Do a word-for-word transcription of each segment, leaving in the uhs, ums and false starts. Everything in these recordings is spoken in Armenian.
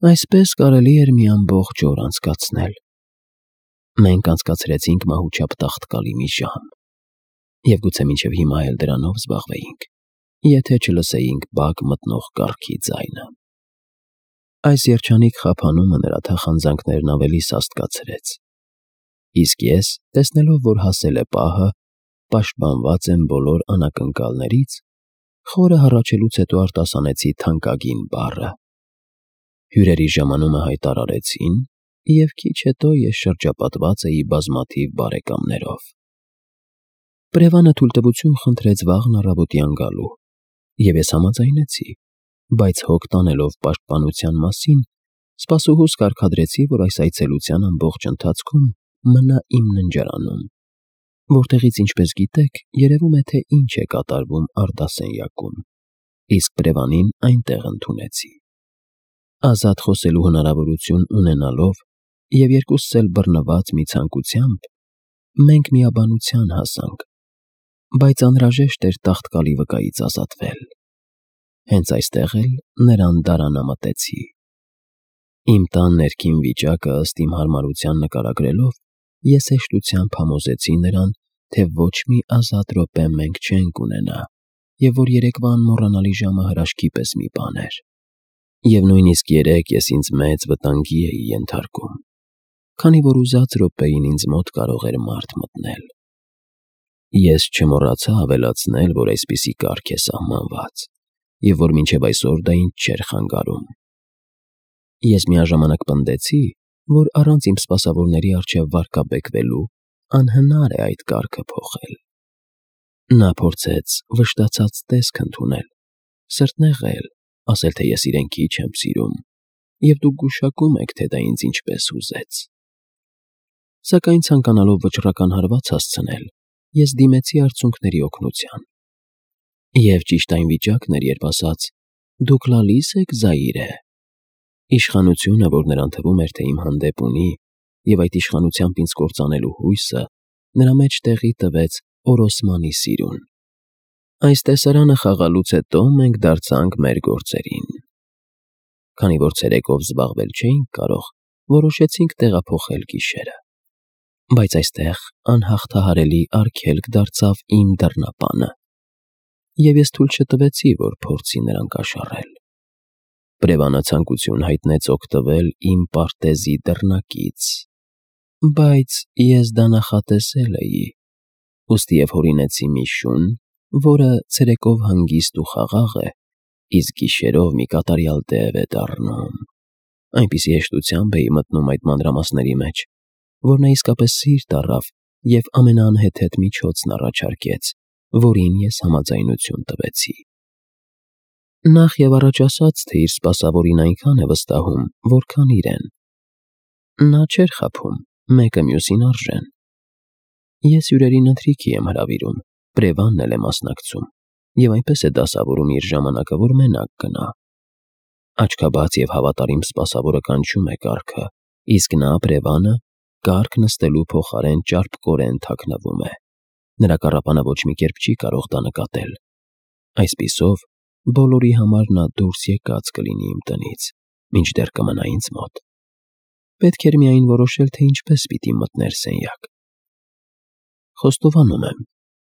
Այսպես կարելի էր մի ամբողջ օր անցկացնել։ Մենք անցկացրեցինք մահուճապ տաղտկալի մի ժամ, և գուցե մինչև հիմա էլ դրանով զբաղվեինք, եթե չլսեինք բակ մտնող կառքի ձայնը։ Այս երջանիկ խափանումը նրա թախանձանքներն ավելի սաստկացրեց, իսկ ես, տեսնելով, որ հասել է պահը, պաշտպանված եմ բոլոր անակնկալներից, խորը հառաչելուց հետո արտասանեցի թանկագին բառը։ Հյուրերի ժամանումը հայտարարեցին, և քիչ հետո ես շրջապատված էի բազմաթիվ բարեկամներով։ Պրևանը թույլտվություն խնդրեց վաղն առավոտյան գալու, և ես համաձայնեցի, բայց հոգ տանելով պաշտպանության մասին, սպասուհուս կարգադրեցի, որ այս այցելության ամբողջ ընթացքում մնա իմ ննջարանում, որտեղից, ինչպես գիտեք, երևում է, թե ինչ է կատարվում արդասենյակում, իսկ Պրևանին այնտեղ ընդունեցի։ Ազատ խոսելու հնարավորություն ունենալով և երկուսս էլ բռնված մի ցանկությամբ, մենք միաբանության հասանք, բայց անհրաժեշտ էր տաղտկալի վկայից ազատվել։ Հենց այստեղ էլ նրան դարանամտեցի։ Իմ տան ներքին վիճակը ըստ իմ հարմարության նկարագրելով, ես հեշտությամբ համոզեցի նրան, թե ոչ մի ազատ րոպե մենք չենք ունենա, և որ երեկվա անմոռանալի ժամը հրաշքի պես մի բան էր, և նույնիսկ երեկ ես ինձ մեծ վտանգի էի ենթարկում, քանի որ ուզած րոպեին ինձ մոտ կարող էր մարդ մտնել։ Ես չմոռացա ավելացնել, որ այսպիսի կարգ է սահմանված, և որ մինչև այսօր դա ինձ չէր խանգարում։ Ես միաժամանակ պնդեցի, որ առանց իմ սպասավորների առջև վարկաբեկվելու անհնար է այդ կարգը փոխել։ Նա փորձեց վշտացած տեսք ընդունել, սրտնեղել, ասել, թե ես իրեն քիչ եմ սիրում, և դուք գուշակում եք, թե դա ինձ ինչպես ուզեց։ Սակայն ցանկանալով վճռական հարված հասցնել, ես դիմեցի արցունքների օգնության։ Եվ ճիշտ այն վիճակն էր, երբ ասաց. «Դուք լալի՞ս եք, Զայիրե»։ Իշխանությունը, որ նրան թվում էր, թե իմ հանդեպ ունի, և այդ իշխանությամբ ինձ կործանելու հույսը, նրա մեջ տեղի տվեց օրոսմանի սիրուն։ Այս տեսարանը խաղալուց հետո մենք դարձանք մեր գործերին։ Քանի որ ցերեկով զբաղվել չէինք կարող, որոշեցինք տեղափոխել գիշերը։ Բայց այստեղ անհաղթահարելի արգելք դարձավ իմ դռնապանը, և ես թույլ չտվեցի, որ փորձի նրան կաշառել։ Պրևանը ցանկություն հայտնեց օգտվել իմ պարտեզի դռնակից, բայց ես դա նախատեսել էի, ուստի և հորինեցի մի շուն, որը ցերեկով հանգիստ ու խաղաղ է, իսկ գիշերով մի կատարյալ տև է դառնում։ Այնպիսի հեշտությամբ էի մտնում այդ մանրամասների մեջ, որ նա իսկապես սիրտ առավ և ամենաանհեթեթ միջոցն առաջարկեց, որին ես համաձայնություն տվեցի։ Նախ և առաջ ասած, թե իր սպասավորին այնքան է վստահում, որքան իրեն։ Նա չէր խաբում, մեկը մյուսին արժեն։ Ես հյուրերին ընթրիքի եմ հրավիրում, Պրևանն էլ է մասնակցում, և այնպես է դասավորում իր ժամանակը, որ մենակ գնա։ Աչքաբաց և հավատարիմ սպասավորը կանչում է կառքը, իսկ նա, Պրևանը, կառք նստելու փոխարեն ճարպկորեն թաքնվում է։ Նրա կառապանը ոչ մի կերպ չի կարող դա նկատել։ Այսպիսով, բոլորի համար նա դուրս եկած կլինի իմ տնից, մինչդեռ կմնա ինձ մոտ։ Պետք էր միայն որոշել, թե ինչպես պիտի մտներ սենյակ։ Խոստովանում եմ,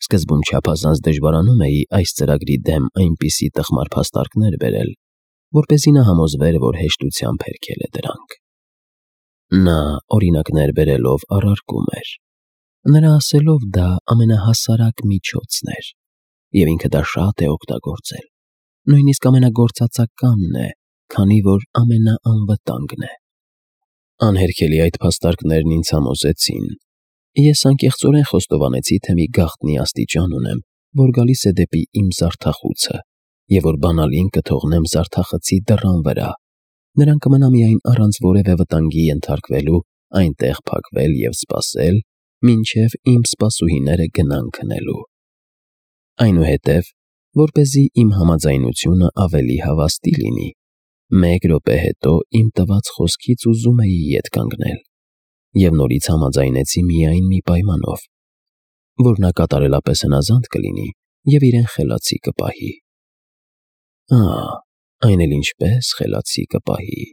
սկզբում չափազանց դժվարանում էի այս ծրագրի դեմ այնպիսի տխմար փաստարկներ բերել, որպեսզի նա համոզվեր, որ հեշտությամբ հերքել է դրանք։ Նա օրինակներ բերելով առարկում էր։ Նրա ասելով դա ամենահասարակ միջոցն էր, և ինքը դա շատ է օգտագործել, նույնիսկ ամենագործածականն է, քանի որ ամենաանվտանգն է։ Անհերքելի այդ փաստարկներն ինձ համոզեցին։ Ես անկեղծորեն խոստովանեցի, թե մի գաղտնի աստիճան ունեմ, որ գալիս է դեպի իմ զարդախուցը, և որ բանալին կթողնեմ զարդախցի դռան վրա, նրան կմնա միայն առանց որևէ վտանգի ենթարկվելու այնտեղ փակվել և սպասել, մինչև իմ սպասուհիները գնան քնելու։ Այնուհետև, որպեսզի իմ համաձայնությունը ավելի հավաստի լինի, մեկ րոպե հետո իմ տված խոսքից ուզում էի ետ կանգնել, և նորից համաձայնեցի միայն մի պայմանով, որ նա կատարելապես հնազանդ կլինի և իրեն խելացի կպահի։ Ահ, այն էլ ինչպես խելացի կպահի։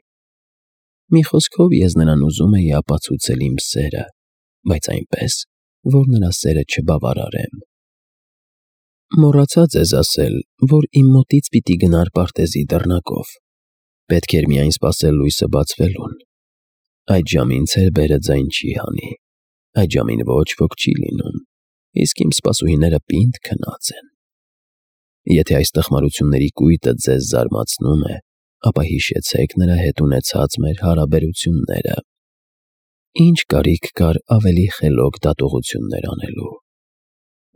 Մի խոսքով ես նրան ուզում էի ապացուցել իմ սերը, բայց այնպես, որ նրա սերը չբավարարեմ։ Մոռացած ես ասել, որ իմ մոտից պիտի գնար պարտեզի դռնակով։ Պետք էր միայն սպասել լույսը բացվելուն։ Այդ ժամին ցերբերը ձայն չի հանի, այդ ժամին ոչ ոք չի լինում, իսկ իմ սպասուհիները պինդ քնած են։ Եթե այս տխմարությունների կույտը ձեզ զարմացնում է, ապա հիշեցեք նրա հետ ունեցած մեր հարաբերությունները։ Ինչ կարիք կար ավելի խելոք դատողություններ անելու։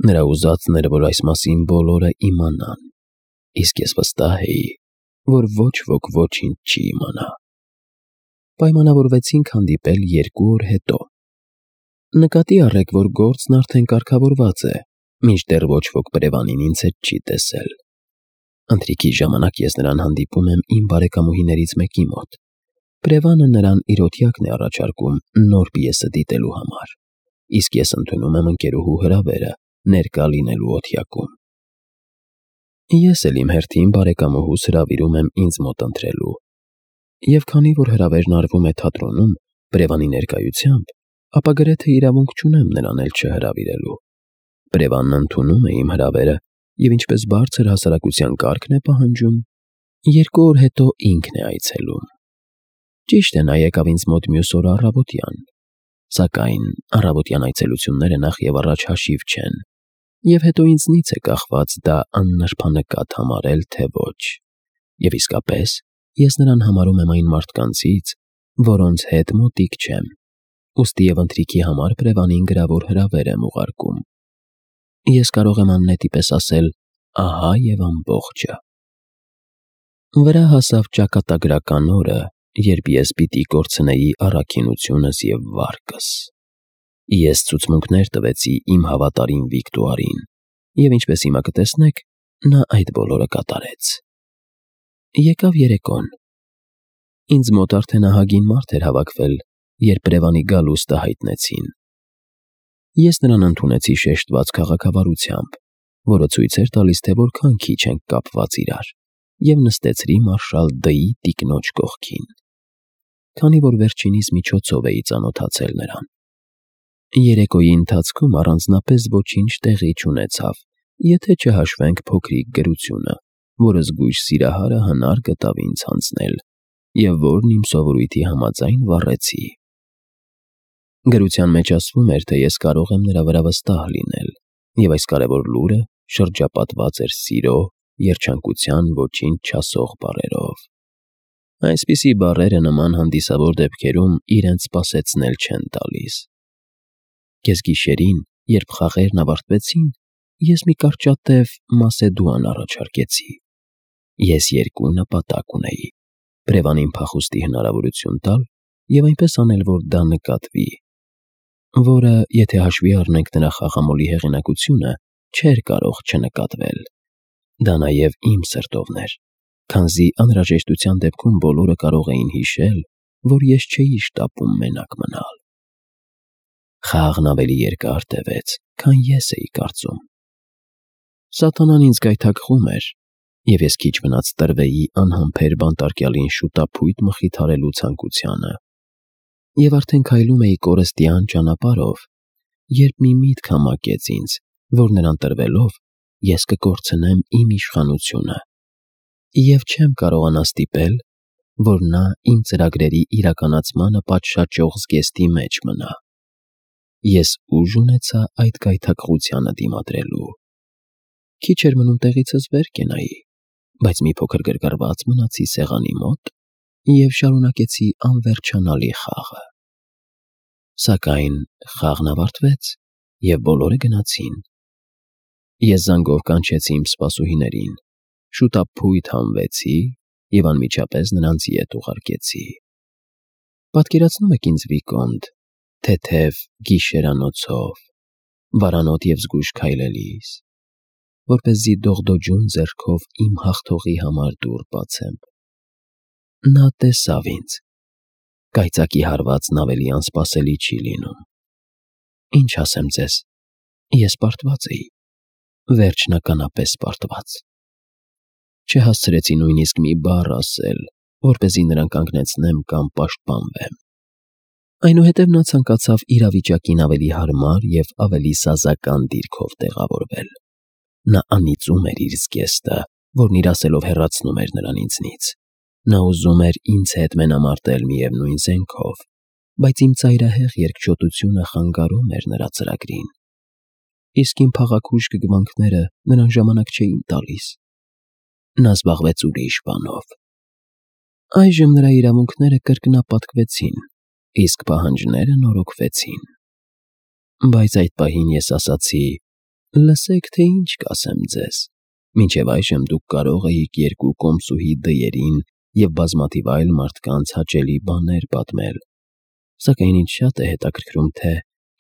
Նրա ուզածն էր, որ այս մասին բոլորը իմանան, իսկ ես վստահ էի, որ ոչ ոք ոչինչ չի իմանա։ Պայմանավորվեցինք հանդիպել երկու օր հետո։ Նկատի առեք, որ գործն արդեն կարգավորված է, մինչդեռ ոչ ոք Պրևանին ինձ հետ չի տեսել։ Ընթրիքի ժամանակ ես նրան հանդիպում եմ իմ բարեկամուհիներից մեկի մոտ։ Պրևանը նրան իր օթյակն է առաջարկում նոր պիեսը դիտելու համար, իսկ ես ընդունում եմ ընկերուհու հրավերը ներկա լինելու օթյակում։ Ես էլ իմ հերթին բարեկամուհուս հրավիրում եմ ինձ մոտ ընտրելու։ Եվ քանի որ հրավերն արվում է թատրոնում Պրևանի ներկայությամբ, ապա գրեթե իրավունք չունեմ նրան էլ չհրավիրելու։ Պրևանն ընդունում է իմ հրավերը և ինչպես բարձր հասարակության կարգն է պահանջում, երկու օր հետո ինքն է այցելում։ Ճիշտ է, նա եկավ ինձ մոտ մյուս օրը առավոտյան, սակայն առավոտյան այցելությունները նախ և առաջ հաշիվ չեն, և հետո ինձնից է կախված դա աննրբանկատ համարել, թե ոչ, և իսկապես ես նրան համարում եմ այն մարդկանցից, որոնց հետ մոտիկ չեմ, ուստի և ընթրիքի համար Պրևանին գրավոր հրավեր եմ ուղարկում։ Ես կարող եմ աննետի պես ասել ահա և ամբողջը։ Վրա հասավ ճակատագրական օրը, երբ ես պիտի կորցնեի առաքինությունս և վարկս։ Ես ցուցմունքներ տվեցի իմ հավատարիմ Վիկտորին, և ինչպես հիմա կտեսնեք, նա այդ բոլորը կատարեց։ Եկավ երեկոն։ Ինձ մոտ արդեն ահագին մարդ էր հավաքվել, երբ Պրևանի գալուստը հայտնեցին։ Ես նրան ընդունեցի շեշտված քաղաքավարությամբ, որը ցույց էր տալիս, թե որքան քիչ ենք կապված իրար, և նստեցրի մարշալ Դ-ի տիկնոջ կողքին, քանի որ վերջինիս միջոցով էի ծանոթացել նրան։ Երեկոյի ընթացքում առանձնապես ոչինչ տեղի չունեցավ, եթե չհաշվենք փոքրիկ գրությունը, որը զգույշ սիրահարը հնար գտավ ինձ հանձնել, և որն իմ սովորույթի համաձայն վառեցի։ Գրության մեջ ասվում էր, թե ես կարող եմ նրա վրա վստահ լինել, և այս կարևոր լուրը շրջապատված էր սիրո, երջանկության ոչինչ չասող բառերով։ Այսպիսի բառերը նման հանդիսավոր դեպքերում իրենց սպասեցնել չեն տալիս։ Կեսգիշերին, երբ խաղերն ավարտվեցին, ես մի կարճատև Մասեդուան առաջարկեցի։ Ես երկու նպատակ ունեի. Պրևանին փախուստի հնարավորություն տալ և այնպես անել, որ դա նկատվի, որը, եթե հաշվի առնենք նրա խաղամոլի հեղինակությունը, չէր կարող չնկատվել։ Դա նաև իմ սրտովն էր, քանզի անհրաժեշտության դեպքում բոլորը կարող էին հիշել, որ ես չէի շտապում մենակ մնալ։ Խաղն ավելի երկար տևեց, քան ես էի կարծում։ Սատանան ինձ գայթակղում էր, և ես քիչ մնաց տրվեի անհամբեր բանտարկյալին շուտափույթ մխիթարելու ցանկությանը։ Եվ արդեն քայլում էի կորստյան ճանապարհով, երբ մի միտք համակեց ինձ, որ նրան տրվելով ես կկորցնեմ իմ իշխանությունը, և չեմ կարողանա ստիպել, որ նա իմ ծրագրերի իրականացմանը պատշաճող զգեստի մեջ մնա։ Ես ուժ ունեցա այդ գայթակղությանը դիմադրելու։ Քիչ էր մնում տեղիցս վեր կենայի, բայց մի փոքր գրգռված մնացի սեղանի մոտ և շարունակեցի անվերջանալի խաղը։ Սակայն խաղն ավարտվեց, և բոլորը գնացին։ Ես զանգով կանչեցի իմ սպասուհիներին, շուտափույթ հանվեցի և անմիջապես նրանց ետ ուղարկեցի։ Պատկերացնո՞ւմ եք ինձ, Վիկոնտ, թեթև գիշերանոցով, վարանոտ և զգույշ քայլելիս, որպեսզի դողդոջուն ձեռքով իմ հաղթողի համար դուռ բացեմ։ Նա տեսավ ինձ։ Կայծակի հարվածն ավելի անսպասելի չի լինում։ Ինչ ասեմ ձեզ, ես պարտված էի, վերջնականապես պարտված։ Չհասցրեցի նույնիսկ մի բառ ասել, որպեսզի նրան կանգնեցնեմ կամ պաշտպանվեմ։ Այնուհետև նա ցանկացավ իրավիճակին ավելի հարմար և ավելի սազական դիրքով տեղավորվել։ Նա անիծում էր իր զգեստը, որն իր ասելով հեռացնում էր նրան ինձնից։ Նա ուզում էր ինձ հետ մենամարտել միևնույն զենքով, բայց իմ ծայրահեղ երկչոտությունը խանգարում էր նրա ծրագրին։ Իսկ իմ փաղաքուշ գգվանքները նրան ժամանակ չէին տալիս։ Նա զբաղվեց ուրիշ բանով։ Այժմ նրա իրավունքները կրկնապատկվեցին, իսկ պահանջները նորոգվեցին։ Բայց այդ պահին ես ասացի. «Լսեք, թե ինչ կասեմ ձեզ. մինչև այժմ դուք կարող էիք երկու կոմսուհի դյերին և բազմաթիվ այլ մարդկանց հաճելի բաներ պատմել, սակայն ինձ շատ է հետաքրքրում, թե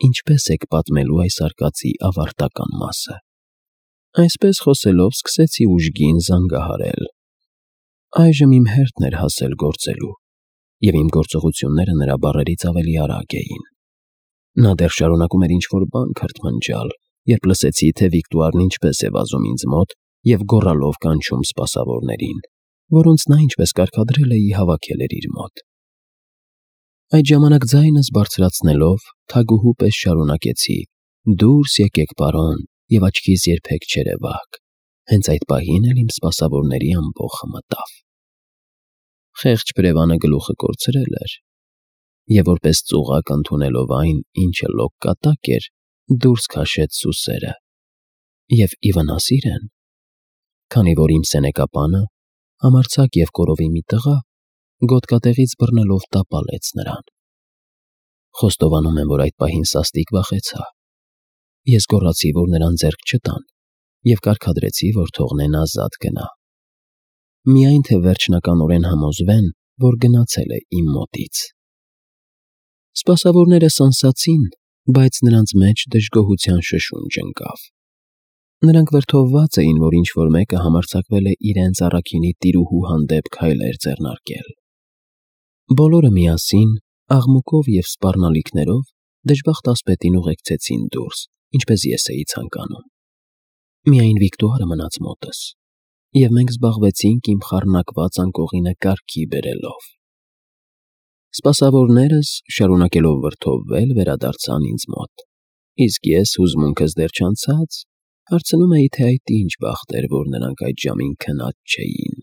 ինչպես եք պատմելու այս արկածի ավարտական մասը»։ Այսպես խոսելով սկսեցի ուժգին զանգահարել։ Այժմ իմ հերթն էր հասել գործելու, և իմ գործողությունները նրա բառերից ավելի արագ էին։ Նա դեռ շարունակում էր ինչ-որ բան քրթմնջալ, երբ լսեցի, թե Վիկտուարն ինչպես է վազում ինձ մոտ և գոռալով կանչում սպասավորներին, որոնց նա, ինչպես կարգադրել էի, հավաքել էր իր մոտ։ Այդ ժամանակ ձայնս բարձրացնելով, թագուհու պես շարունակեցի. «Դուրս եկեք, պարոն, և աչքիս երբեք չերևաք»։ Հենց այդ պահին էլ իմ սպասավորների ամբոխը մտավ։ Խեղճ բրևանը գլուխը կորցրել էր, և որպես ծուղակ ընդունելով այն, ինչը լոկ կատակ էր, դուրս քաշեց սուսերը։ Եվ ի վնաս իրեն, քանի որ իմ սենեկապանը, համարձակ և կորովի մի տղա, գոտկատեղից բռնելով տապալեց նրան։ Խոստովանում եմ, որ այդ պահին սաստիկ վախեցա։ Ես գոռացի, որ նրան ձեռք չտան, և կարգադրեցի, որ թողնեն ազատ գնա։ Միայն թե վերջնականորեն համոզվեն, որ գնացել է իմ մոտից։ Սպասավորները սանսացին, բայց նրանց մեջ դժգոհության շշունջ ընկավ։ Նրանք վրդովված էին, որ ինչ-որ մեկը համարձակվել է իրենց առաքինի տիրուհու հանդեպ քայլեր ձեռնարկել։ Բոլորը միասին, աղմուկով և սպառնալիքներով դժբախտ ասպետին ուղեկցեցին դուրս, ինչպես ես էի ցանկանում։ Միայն Վիկտուարը մնաց մոտս, և մենք զբաղվեցինք իմ խառնակված անկողինը կարգի բերելով։ Սպասավորներս, շարունակելով վրդովվել, վերադարձան ինձ մոտ, իսկ ես, հուզմունքս դեռ չանցած, հարցնում էի, թե այդ ինչ բախտ էր, որ նրանք այդ ժամին քնած չէին,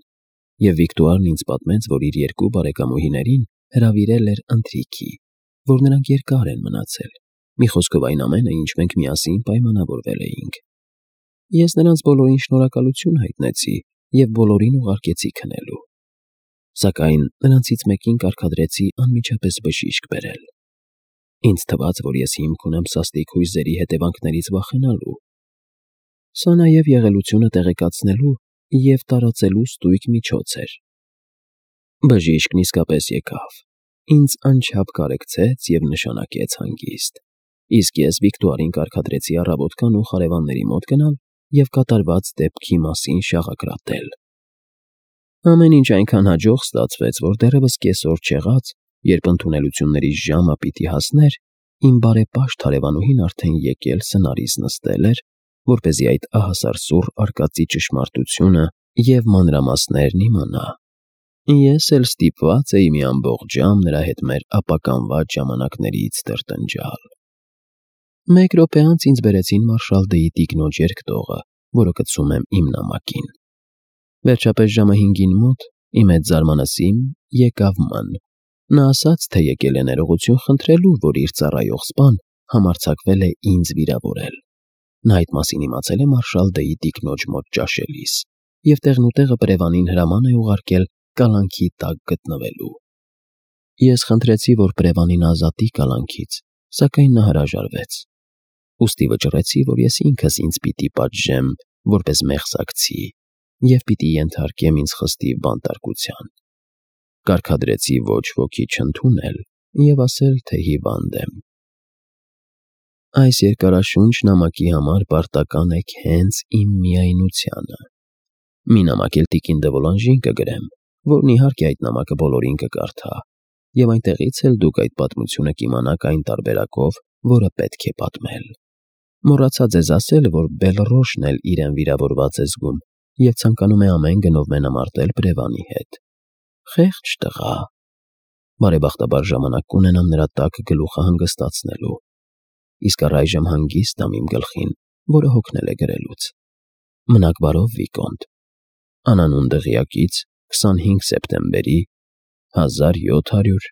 և Վիկտուարն ինձ պատմեց, որ իր երկու բարեկամուհիներին հրավիրել էր ընթրիքի, որ նրանք երկար են մնացել, մի խոսքով այն ամենը, ինչ մենք միասին պայմանավորվել էինք։ Ես նրանց բոլորին շնորհակալություն հայտնեցի և բոլորին ուղարկեցի քնելու։ Սակայն նրանցից մեկին կարգադրեցի անմիջապես բժիշկ բերել։ Ինձ թվաց, որ ես հիմք ունեմ սաստիկ հույզերի հետևանքներից վախենալու։ Սա նաև եղելությունը տեղեկացնելու և տարածելու ստույգ միջոց էր։ Բժիշկն իսկապես եկավ, ինձ անչափ կարեկցեց և նշանակեց հանգիստ, իսկ ես Վիկտուարին կարգադրեցի առավոտկան ու հարևանների մոտ գնալ և կատարված դեպքի մասին շաղակրատել։ Ամեն ինչ այնքան հաջող ստացվեց, որ դեռևս կեսօր չեղած, երբ ընդունելությունների ժամը պիտի հասներ, իմ բարեպաշտ հարևանուհին արդեն եկել սնարից նստել էր, որպեսզի այդ ահասարսուռ արկածի ճշմարտությունը և մանրամասներն իմանա։ Ես էլ ստիպված էի մի ամբողջ ժամ նրա հետ մեր ապականված ժամանակներից տրտնջալ։ Մեկ րոպե անց ինձ բերեցին մարշալ Դ'ի տիկնոջ երկտողը, որը կցում եմ իմ նամակին։ Վերջապես ժամը հինգին մոտ, ի մեծ զարմանալի, եկավ Մ֊ն։ Նա ասաց, թե եկել է ներողություն խնդրելու, որ իր ծառայող սպան համարձակվել է ինձ վիրավորել։ Նա այդ մասին իմացել է մարշալ Դ'ի տիկնոջ մոտ ճաշելիս, և տեղնուտեղը պրևանին հրաման է ուղարկել կալանքի տակ գտնվելու։ Ես խնդրեցի, որ պրևանին ազատի կալանքից, սակայն նա հրաժարվեց։ Ուստի վճռեցի, որ ես ինքս ինձ պիտի պատժեմ որպես մեղսակցի և պիտի ենթարկեմ ինձ խստիվ բանտարկության։ Կարգադրեցի ոչ ոքի չընդունել և ասել, թե հիվանդ եմ։ Այս երկարաշունչ նամակի համար պարտական եք հենց իմ միայնությանը։ Մի նամակ էլ տիկին Դ'Վոլանժին կգրեմ, որն իհարկե այդ նամակը բոլորին կկարդա, և այնտեղից էլ դուք այդ պատմությունը կիմանաք այն տարբերակով, որը պետք է պատմել։ Մոռացա ձեզ ասել, որ Բելռոշն էլ իրեն վիրավորված է զգում և ցանկանում է ամեն գնով մենամարտել պրևանի հետ։ Խեղճ տղա։ Բարեբախտաբար ժամանակ կունենամ նրա տաք գլուխը հանգստացնելու, իսկ առայժմ հանգիստ եմ իմ գլխին, որը հոգնել է գրելուց։ Մնաք բարով, Վիկոնտ, անանուն դղյակից քսանհինգ սեպտեմբերի հազար յոթ հարյուր